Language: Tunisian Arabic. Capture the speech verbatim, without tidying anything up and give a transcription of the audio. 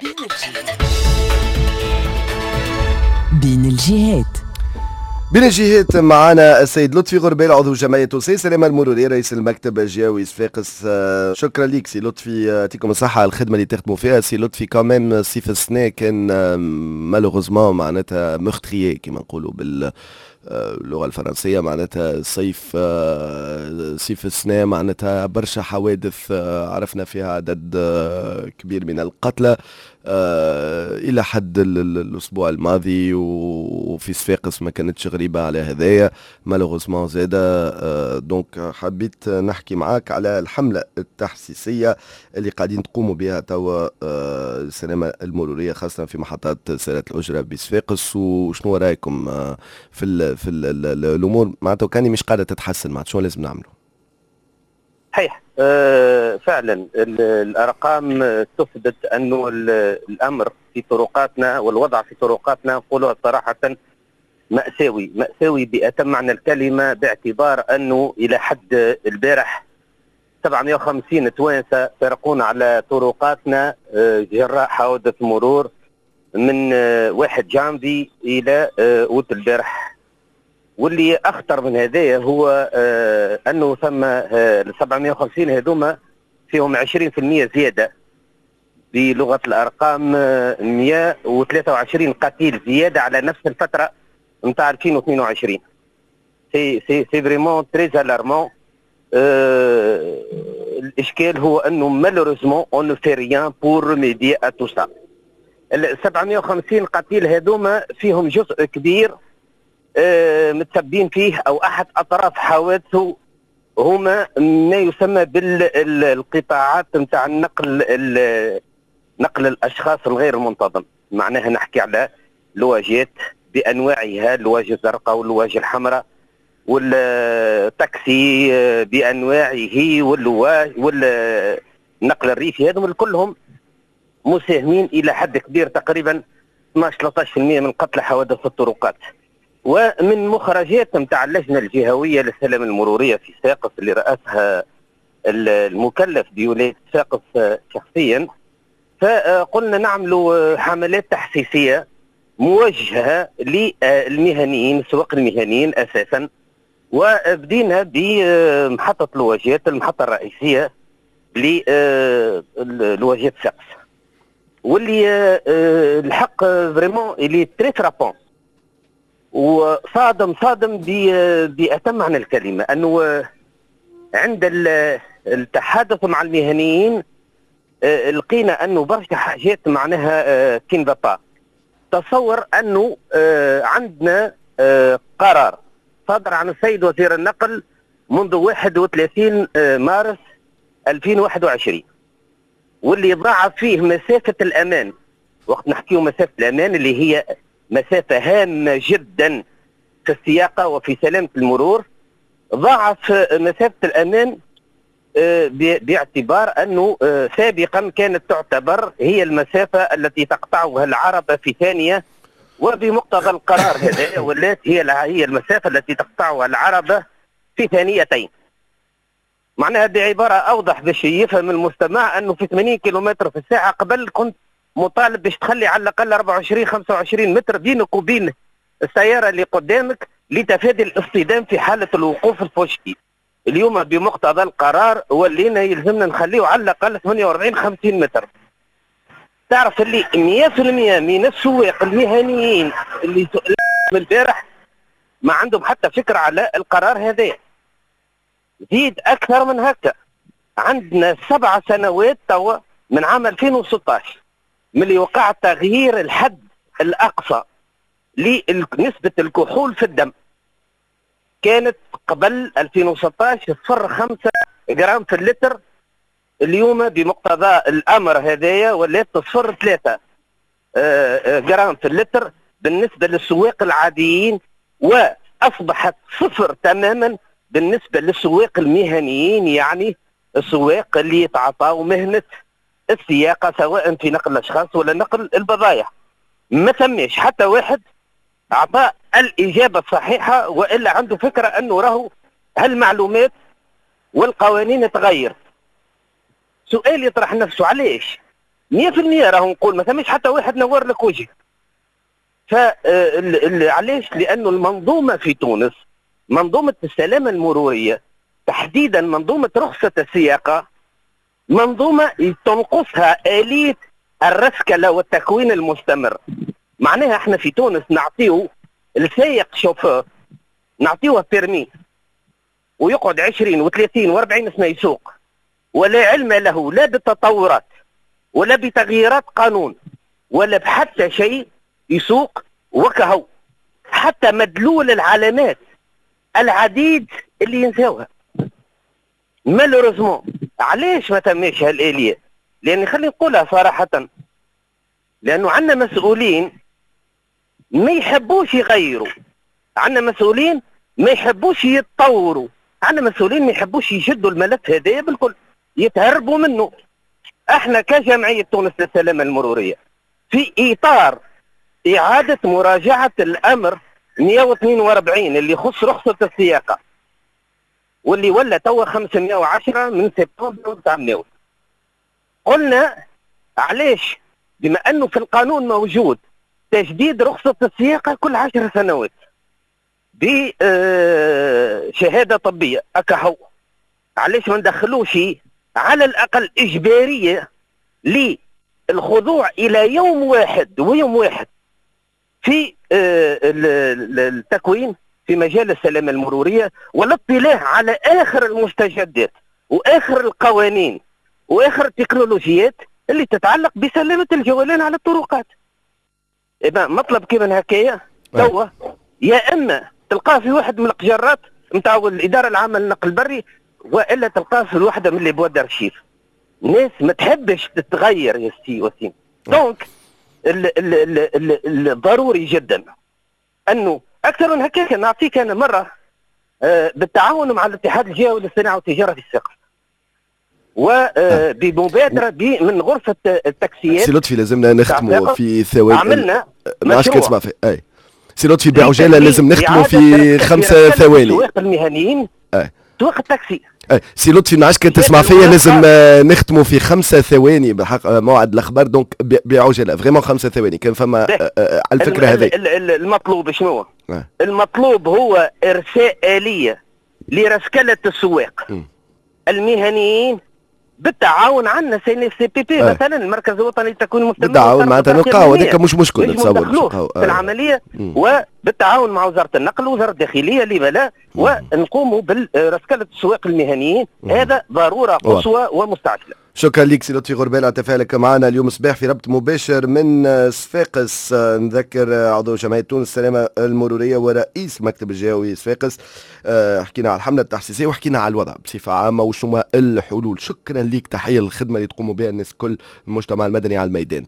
بين الجهات. بين الجهات معنا السيد لطفي غربال، عضو جمعية تونسية السلامة المرورية، رئيس المكتب الجهوي صفاقس. آه، شكرا لك سي لطفي، يعطيكم الصحة على الخدمة اللي تخدموا فيها. سي لطفي، quand même صيف السنة كان malheureusement معناتها meurtrier كما نقولوا بال اللغة الفرنسيه، معناتها صيف آه، صيف السنة معناتها برشا حوادث آه، عرفنا فيها عدد كبير من القتلى الى حد الاسبوع الماضي، وفي صفاقس ما كانتش غريبة على هذايا malheureusement زاده. donc حبيت نحكي معاك على الحملة التحسيسيه اللي قاعدين تقوموا بها توا السلامة المروريه، خاصة في محطات سيارات الاجرة بصفاقس، وشنو رايكم في ال في ال الامور معناتها كان مش قاعدة تتحسن، معناتها شنو لازم نعملوا؟ صحيح، آه، فعلا الارقام تثبت انه الامر في طرقاتنا والوضع في طرقاتنا، نقولها صراحه، مأساوي، مأساوي بأتم معنى الكلمة، باعتبار أنه إلى حد البارح سبعمية وخمسين توانسة فارقونا على طرقاتنا آه، جراء حوادث مرور من آه، واحد جانفي إلى أوت البارح. واللي اخطر من هذايا هو آه انه ثم آه سبعمية وخمسين هذوما فيهم عشرين في المية زياده، بلغه الارقام آه مية وثلاثة وعشرين قتيل زيادة على نفس الفترة نتاع ألفين واثنين وعشرين. c'est c'est c'est vraiment très alarmant. الاشكال هو انه malheureusement on ne fait rien pour remédier à tout ça. ال سبعمية وخمسين قتيل هذوما فيهم جزء كبير آه، متسبين فيه او احد اطراف حوادثه هما ما يسمى بالقطاعات نتاع النقل، نقل الاشخاص الغير المنتظم. معناها نحكي على لواجات بانواعها، اللواج الزرقاء واللواج الحمراء والتاكسي بانواعه واللواج والنقل الريفي، هذم كلهم مساهمين الى حد كبير، تقريبا اثناش ثلاثطاش في المية من قتلى حوادث الطرقات. ومن مخرجات نتاع اللجنة الجهوية للسلامة المرورية في صفاقس اللي رأسها المكلف بولاية صفاقس شخصيا، فقلنا نعملوا حملات تحسيسيه موجهة للمهنيين، السواق المهنيين اساسا، وبدينا بمحطه الواجهات، المحطة الرئيسية للواجهات صفاقس، واللي آه، الحق vraiment il est très frappant وصادم، صادم بأتم معنى الكلمة، أنه عند التحدث مع المهنيين آه، لقينا أنه برشا حاجات معناها qui ne va pas. تصور أنه آه، عندنا قرار صدر عن السيد وزير النقل منذ واحد وثلاثين مارس ألفين وواحد وعشرين، واللي ضاعف فيه مسافة الأمان. وقت نحكيه مسافة الأمان، اللي هي مسافة هامة جدا في السياقة وفي سلامة المرور، ضاعف مسافة الأمان آه، باعتبار أنه آه، سابقا كانت تعتبر هي المسافة التي تقطعها العربة في ثانية، وبمقتضى القرار هذا ولات هي هي المسافة التي تقطعها العربة في ثانيتين. معناها بعبارة أوضح باش يفهم المستمع، أنه في ثمانين كيلومتر في الساعة قبل كنت مطالب باش تخلي على الأقل أربعة وعشرين خمسة وعشرين متر بينك وبين السيارة اللي قدامك لتفادي الاصطدام في حالة الوقوف الفجئي. اليوم بمقتضى القرار ولينا يلزمنا نخليه على الأقل ثمانية وأربعين خمسين متر. تعرف اللي مية في المية من السواق المهنيين اللي سئلوا البارح ما عندهم حتى فكرة على القرار هذا. زيد أكثر من هكا، عندنا سبع سنوات توا من عام ألفين وستطاش من اللي وقع تغيير الحد الأقصى لنسبة الكحول في الدم. كانت قبل ألفين وستطاش صفر خمسة جرام في اللتر، اليوم بمقتضى الامر هذايا ولات صفر ثلاثة آه، آه، جرام في اللتر بالنسبة للسواق العاديين، واصبحت صفر تماما بالنسبة للسواق المهنيين، يعني السواق اللي يتعاطاوا مهنة السياقه سواء في نقل الاشخاص ولا نقل البضائع. ما ثماش حتى واحد اعطى الاجابة الصحيحة والا عنده فكرة انه راهو هالمعلومات والقوانين تغير. سؤال يطرح نفسه، علاش؟ مية في المية راهو نقول ما ثماش حتى واحد نور لك وجهك. ف علاش؟ لانه المنظومة في تونس، منظومة السلامة المرورية تحديدا منظومة رخصه السياقه، منظومة تنقصها اليه الرسكله والتكوين المستمر. معناها احنا في تونس نعطيه السائق شوفور، نعطيوه permis ويقعد عشرين وثلاثين وأربعين سنة يسوق، ولا علم له لا بالتطورات ولا بتغييرات قانون ولا بحتى شيء، يسوق وكهو. حتى مدلول العلامات العديد اللي ينساوها malheureusement. علاش ما تماش هالآلية؟ لأن خلينا نقولها صراحة، لأنه عندنا مسؤولين ما يحبوش يغيروا، عندنا مسؤولين ما يحبوش يتطوروا، عندنا مسؤولين ما يحبوش يشدوا الملف هذايا بالكل، يتهربوا منه. احنا كجمعية تونس للسلامة المرورية في إطار إعادة مراجعة الأمر مئة واثنين وأربعين اللي يخص رخصة السياقة واللي ولا توا خمسمئة وعشرة من سبتمبر وتعملوا، قلنا علاش بما أنه في القانون موجود تجديد رخصة السياقة كل عشر سنوات بشهادة طبية أكهو، علاش ما ندخلوش على الأقل إجبارية للخضوع إلى يوم واحد ويوم واحد في التكوين في مجال السلامة المرورية والاطلاع على آخر المستجدات وآخر القوانين وآخر التكنولوجيات اللي تتعلق بسلامة الجولان على الطرقات. إذا مطلب كيما هكايا توا يا إما تلقاه في واحد من القجرات نتاع الإدارة العامة للنقل البري، وإلا تلقاه في واحدة من les boîtes d'archives. ناس ما تحبش تتغير يا سي وسيم. donc الضروري جدا أنه أكثر من هكاك. نعطيك أنا مرة بالتعاون مع الاتحاد الجهوي للصناعة والتجارة في الصفاقس وبمبادرة من غرفة التاكسيات. سي لطفي لازمنا نختموا في ثواني. عملنا مشروع في أي سي لطفي بعجالة لازم نختموا في خمسة ثواني. سواق المهنيين، سواق التاكسي. أي سي لطفي ما عادش كان تسمع فيا، لازم نختموا في خمسة ثواني بالحق موعد الأخبار، donc بعجالة vraiment خمسة ثواني كان فما على الفكرة هذه. المطلوب شنو؟ المطلوب هو إرساء آلية لرسكلة السواق م. المهنيين بالتعاون عندنا CNFCPP مثلا المركز الوطني للتكوين المستمر بالتعاون معناتها نلقاو هذاك مش مشكل نتصور في العملية، وبالتعاون مع وزارة النقل ووزارة الداخلية لما لا، ونقوموا برسكله السواق المهنيين. هذا ضرورة قصوى ومستعجله. شكرا لك سي لطفي غربال على تفاعلك معنا اليوم صباح في ربط مباشر من صفاقس. نذكر عضو جمعية تونس السلامة المرورية ورئيس مكتب الجهوي صفاقس. حكينا على الحملة التحسيسية وحكينا على الوضع بصفة عامة وشنو الحلول. شكرا لك، تحية للخدمة اللي تقوموا بها الناس كل المجتمع المدني على الميدان.